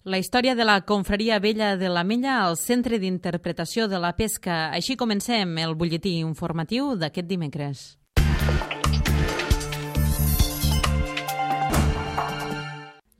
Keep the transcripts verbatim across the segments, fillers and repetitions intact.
La història de la confraria vella de l'Ametlla al Centre d'Interpretació de la Pesca. Així comencem el butlletí informatiu d'aquest dimecres.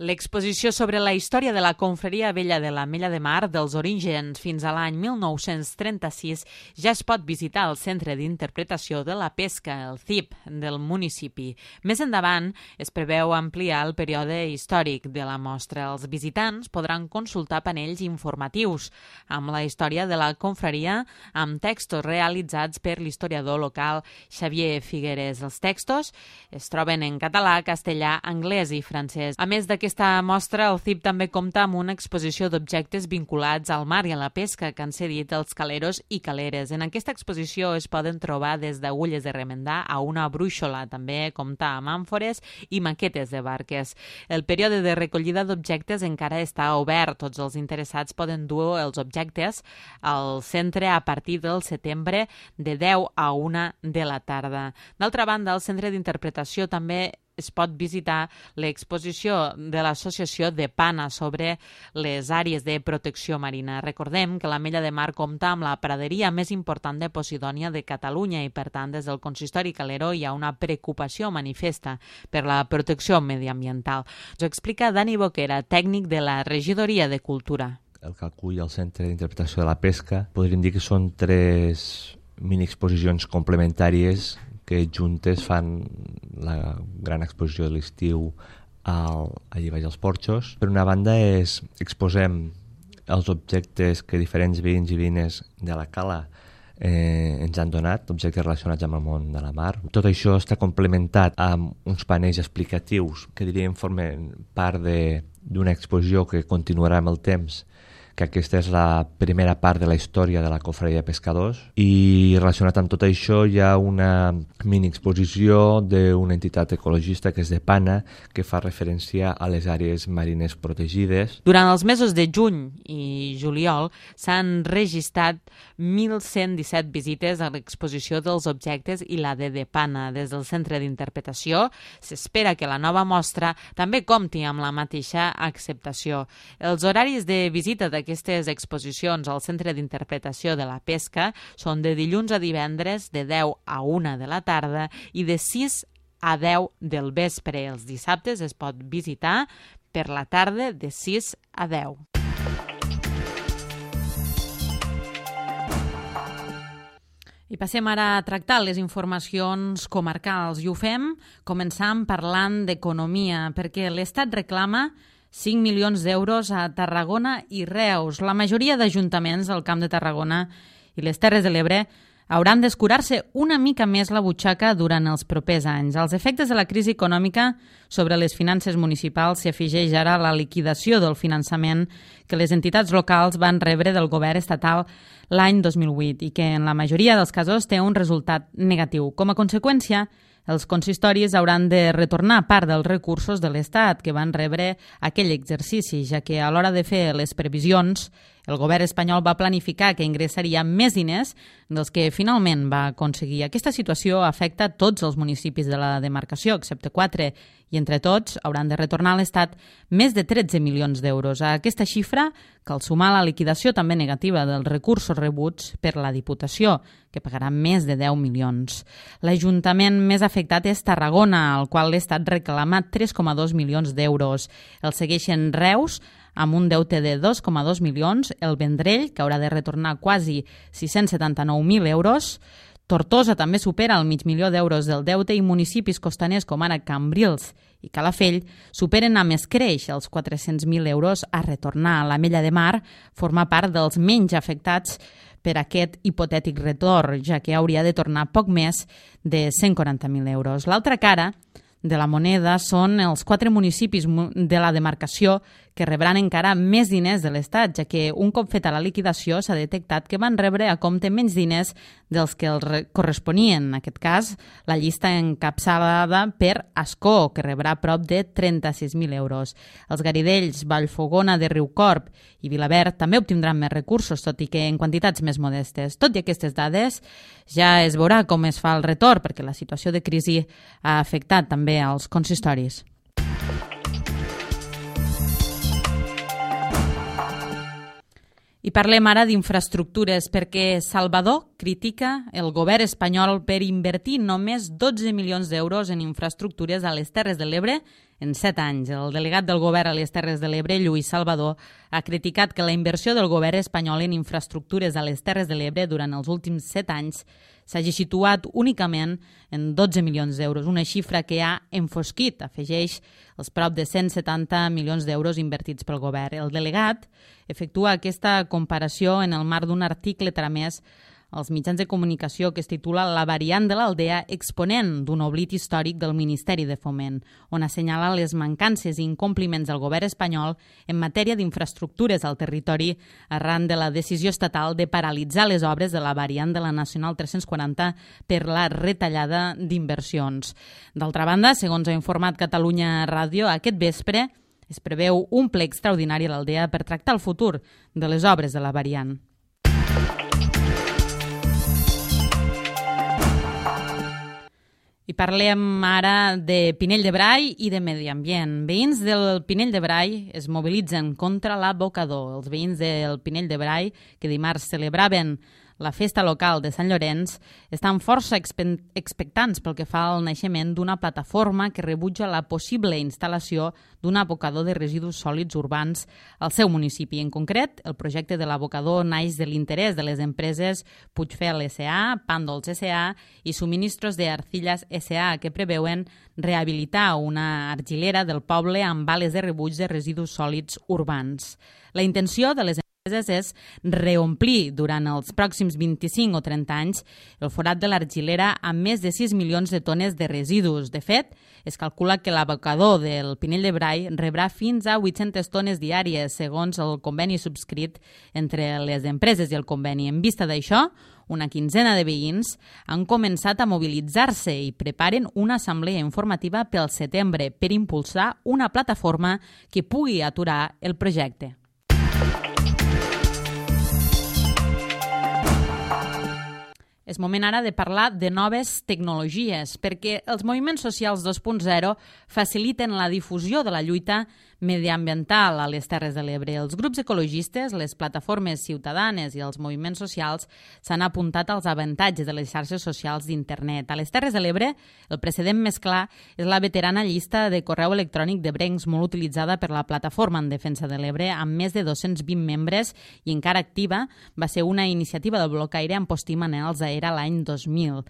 L'exposició sobre la història de la confraria vella de l'Ametlla de Mar dels orígens fins a l'any mil nou-cents trenta-sis ja es pot visitar al Centre d'Interpretació de la Pesca, el C I P, del municipi. Més endavant es preveu ampliar el període històric de la mostra. Els visitants podran consultar panells informatius amb la història de la confraria amb textos realitzats per l'historiador local Xavier Figueres. Els textos es troben en català, castellà, anglès i francès. A més d'aquest Aquesta mostra, el C I P també compta amb una exposició d'objectes vinculats al mar i a la pesca que han cedit els caleros i caleres. En aquesta exposició es poden trobar des d'agulles de remendar a una brúixola. També compta amb àmfores i maquetes de barques. El període de recollida d'objectes encara està obert. Tots els interessats poden dur els objectes al centre a partir del setembre de deu a una de la tarda. D'altra banda, el Centre d'Interpretació també es pot visitar l'exposició de l'Associació de Pana sobre les àrees de protecció marina. Recordem que l'Ametlla de Mar compta amb la praderia més important de Posidònia de Catalunya i, per tant, des del consistori calero hi ha una preocupació manifesta per la protecció mediambiental. Ens ho explica Dani Boquera, tècnic de la Regidoria de Cultura. El que acull el Centre d'Interpretació de la Pesca podríem dir que són tres mini-exposicions complementàries que juntes fan la gran exposició de l'estiu allà baix als porxos. Per una banda, és, exposem els objectes que diferents veïns i veïnes de la cala eh, ens han donat, objectes relacionats amb el món de la mar. Tot això està complementat amb uns panells explicatius que diríem formen part d'una exposició que continuarà amb el temps, que aquesta és la primera part de la història de la confraria de pescadors, i relacionat amb tot això hi ha una mini-exposició d'una entitat ecologista que és de Pana, que fa referència a les àrees marines protegides. Durant els mesos de juny i juliol s'han registrat mil cent disset visites a l'exposició dels objectes i la de de Pana. Des del Centre d'Interpretació s'espera que la nova mostra també compti amb la mateixa acceptació. Els horaris de visita d'aquest Aquestes exposicions al Centre d'Interpretació de la Pesca són de dilluns a divendres de deu a una de la tarda i de sis a deu del vespre. Els dissabtes es pot visitar per la tarda de sis a deu. I passem ara a tractar les informacions comarcals i ho fem començant parlant d'economia, perquè l'Estat reclama cinc milions d'euros a Tarragona i Reus. La majoria d'ajuntaments del Camp de Tarragona i les Terres de l'Ebre hauran d'escurar-se una mica més la butxaca durant els propers anys. Els efectes de la crisi econòmica sobre les finances municipals s'hi afegeix ara la liquidació del finançament que les entitats locals van rebre del govern estatal l'any dos mil vuit i que en la majoria dels casos té un resultat negatiu. Com a conseqüència, els consistoris hauran de retornar part dels recursos de l'Estat que van rebre aquell exercici, ja que a l'hora de fer les previsions, el govern espanyol va planificar que ingressaria més diners dels que finalment va aconseguir. Aquesta situació afecta tots els municipis de la demarcació, excepte quatre, i entre tots hauran de retornar a l'Estat més de tretze milions d'euros. A aquesta xifra cal sumar la liquidació també negativa dels recursos rebuts per la Diputació, que pagarà més de deu milions. L'Ajuntament més afectat és Tarragona, al qual l'Estat reclama tres coma dos milions d'euros. El segueixen Reus, amb un deute de dos coma dos milions, el Vendrell, que haurà de retornar quasi sis-cents setanta-nou mil euros, Tortosa també supera el mig milió d'euros del deute i municipis costaners com ara Cambrils i Calafell superen amb escreix els quatre-cents mil euros a retornar. L'Ametlla de Mar forma part dels menys afectats per aquest hipotètic retorn, ja que hauria de tornar poc més de cent quaranta mil euros. L'altra cara de la moneda són els quatre municipis de la demarcació que rebran encara més diners de l'Estat, ja que un cop feta la liquidació s'ha detectat que van rebre a compte menys diners dels que els corresponien. En aquest cas, la llista encapçalada per Ascó, que rebrà prop de trenta-sis mil euros. Els Garidells, Vallfogona de Riucorb i Vilaverd també obtindran més recursos, tot i que en quantitats més modestes. Tot i aquestes dades, ja es veurà com es fa el retorn, perquè la situació de crisi ha afectat també als consistoris. I parlem ara d'infraestructures perquè Salvador critica el govern espanyol per invertir només dotze milions d'euros en infraestructures a les Terres de l'Ebre en set anys. El delegat del govern a les Terres de l'Ebre, Lluís Salvador, ha criticat que la inversió del govern espanyol en infraestructures a les Terres de l'Ebre durant els últims set anys s'hagi situat únicament en dotze milions d'euros, una xifra que ha enfosquit, afegeix, els prop de cent setanta milions d'euros invertits pel govern. El delegat efectua aquesta comparació en el marc d'un article tramès als mitjans de comunicació que es titula La variant de l'Aldea, exponent d'un oblit històric del Ministeri de Foment, on assenyala les mancances i incompliments del govern espanyol en matèria d'infraestructures al territori arran de la decisió estatal de paralitzar les obres de la variant de la Nacional tres-cents quaranta per la retallada d'inversions. D'altra banda, segons ha informat Catalunya Ràdio, aquest vespre es preveu un ple extraordinari a l'Aldea per tractar el futur de les obres de la variant. I parlem ara de Pinell de Brai i de medi ambient. Veïns del Pinell de Brai es mobilitzen contra l'abocador. Els veïns del Pinell de Brai, que dimarts celebraven la festa local de Sant Llorenç, estan força expectants pel que fa al naixement d'una plataforma que rebutja la possible instal·lació d'un abocador de residus sòlids urbans al seu municipi. En concret, el projecte de l'abocador naix de l'interès de les empreses Puigfel S A, Pàndols S A i Suministros de Arcillas S A, que preveuen rehabilitar una argilera del poble amb bales de rebuig de residus sòlids urbans. La intenció de les empreses és reomplir durant els pròxims vint-i-cinc o trenta anys el forat de l'argilera amb més de sis milions de tones de residus. De fet, es calcula que l'abocador del Pinell de Brai rebrà fins a vuit-centes tones diàries, segons el conveni subscrit entre les empreses i el conveni. En vista d'això, una quinzena de veïns han començat a mobilitzar-se i preparen una assemblea informativa pel setembre per impulsar una plataforma que pugui aturar el projecte. És moment ara de parlar de noves tecnologies, perquè els moviments socials dos punt zero faciliten la difusió de la lluita mediambiental a les Terres de l'Ebre. Els grups ecologistes, les plataformes ciutadanes i els moviments socials s'han apuntat als avantatges de les xarxes socials d'internet. A les Terres de l'Ebre, el precedent més clar és la veterana llista de correu electrònic de Brencs, molt utilitzada per la Plataforma en Defensa de l'Ebre, amb més de dos-cents vint membres i encara activa. Va ser una iniciativa del blocaire amb Post i Manels a Era l'any dos mil.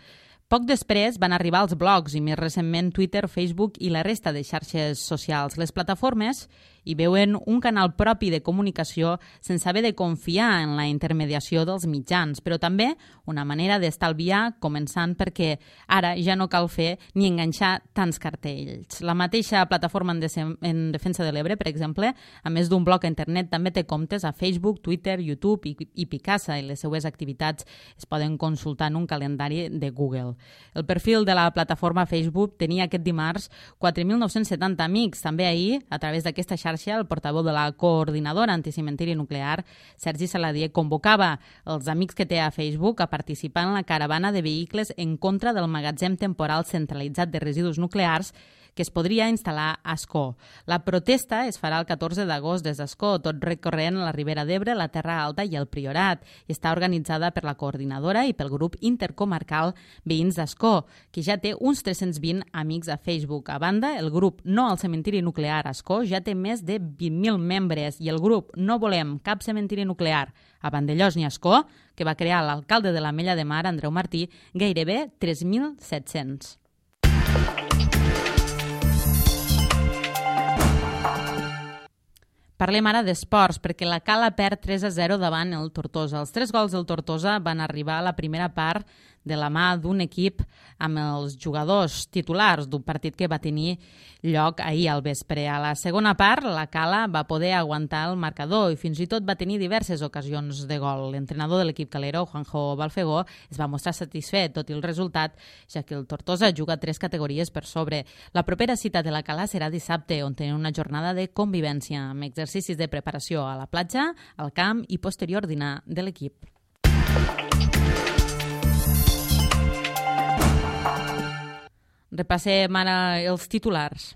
Poc després van arribar els blogs i més recentment Twitter, Facebook i la resta de xarxes socials. Les plataformes hi veuen un canal propi de comunicació sense haver de confiar en la intermediació dels mitjans, però també una manera d'estalviar, començant perquè ara ja no cal fer ni enganxar tants cartells. La mateixa Plataforma en Defensa de l'Ebre, per exemple, a més d'un blog a internet, també té comptes a Facebook, Twitter, YouTube i, i Picasa, i les seues activitats es poden consultar en un calendari de Google. El perfil de la plataforma Facebook tenia aquest dimarts quatre mil nou-cents setanta amics. També ahir, a través d'aquesta xarxa, el portaveu de la coordinadora anticimentiri nuclear, Sergi Saladier, convocava els amics que té a Facebook a participar en la caravana de vehicles en contra del magatzem temporal centralitzat de residus nuclears que es podria instal·lar a Ascó. La protesta es farà el catorze d'agost des d'Ascó, tot recorrent la Ribera d'Ebre, la Terra Alta i el Priorat, i està organitzada per la coordinadora i pel grup intercomarcal Veïns d'Ascó, que ja té uns tres-cents vint amics a Facebook. A banda, el grup No al Cementiri Nuclear Ascó ja té més de vint mil membres i el grup No Volem Cap Cementiri Nuclear a Vandellòs ni Ascó, que va crear l'alcalde de l'Ametlla de Mar, Andreu Martí, gairebé tres mil set-cents. Parlem ara d'esports, perquè la Cala perd tres a zero davant el Tortosa. Els tres gols del Tortosa van arribar a la primera part de la mà d'un equip amb els jugadors titulars d'un partit que va tenir lloc ahir al vespre. A la segona part, la Cala va poder aguantar el marcador i fins i tot va tenir diverses ocasions de gol. L'entrenador de l'equip calero, Juanjo Balfegó, es va mostrar satisfet tot i el resultat, ja que el Tortosa juga tres categories per sobre. La propera cita de la Cala serà dissabte, on tenen una jornada de convivència, amb exercicis de preparació a la platja, al camp i posterior dinar de l'equip. Repassem ara els titulars.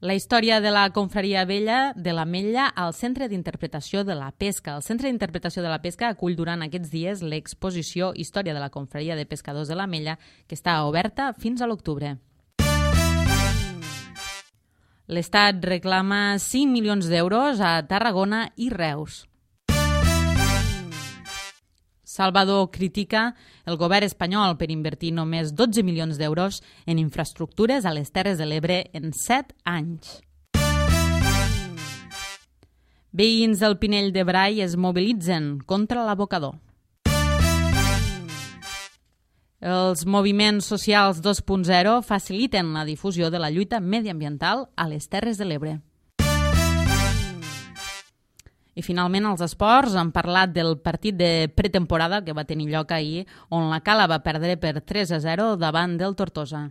La història de la confraria vella de l'Ametlla al Centre d'Interpretació de la Pesca. El Centre d'Interpretació de la Pesca acull durant aquests dies l'exposició Història de la confraria de pescadors de l'Ametlla, que està oberta fins a l'octubre. L'Estat reclama cinc milions d'euros a Tarragona i Reus. Salvador critica el govern espanyol per invertir només dotze milions d'euros en infraestructures a les Terres de l'Ebre en set anys. Veïns del Pinell de Brai es mobilitzen contra l'abocador. Els moviments socials dos punt zero faciliten la difusió de la lluita mediambiental a les Terres de l'Ebre. I finalment, als esports, han parlat del partit de pretemporada que va tenir lloc ahir, on la Cala va perdre per tres a zero davant del Tortosa.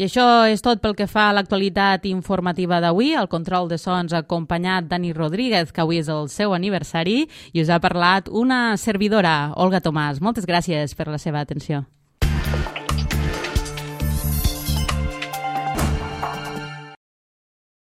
I això és tot pel que fa a l'actualitat informativa d'avui. El control de sons ha acompanyat Dani Rodríguez, que avui és el seu aniversari, i us ha parlat una servidora, Olga Tomàs. Moltes gràcies per la seva atenció.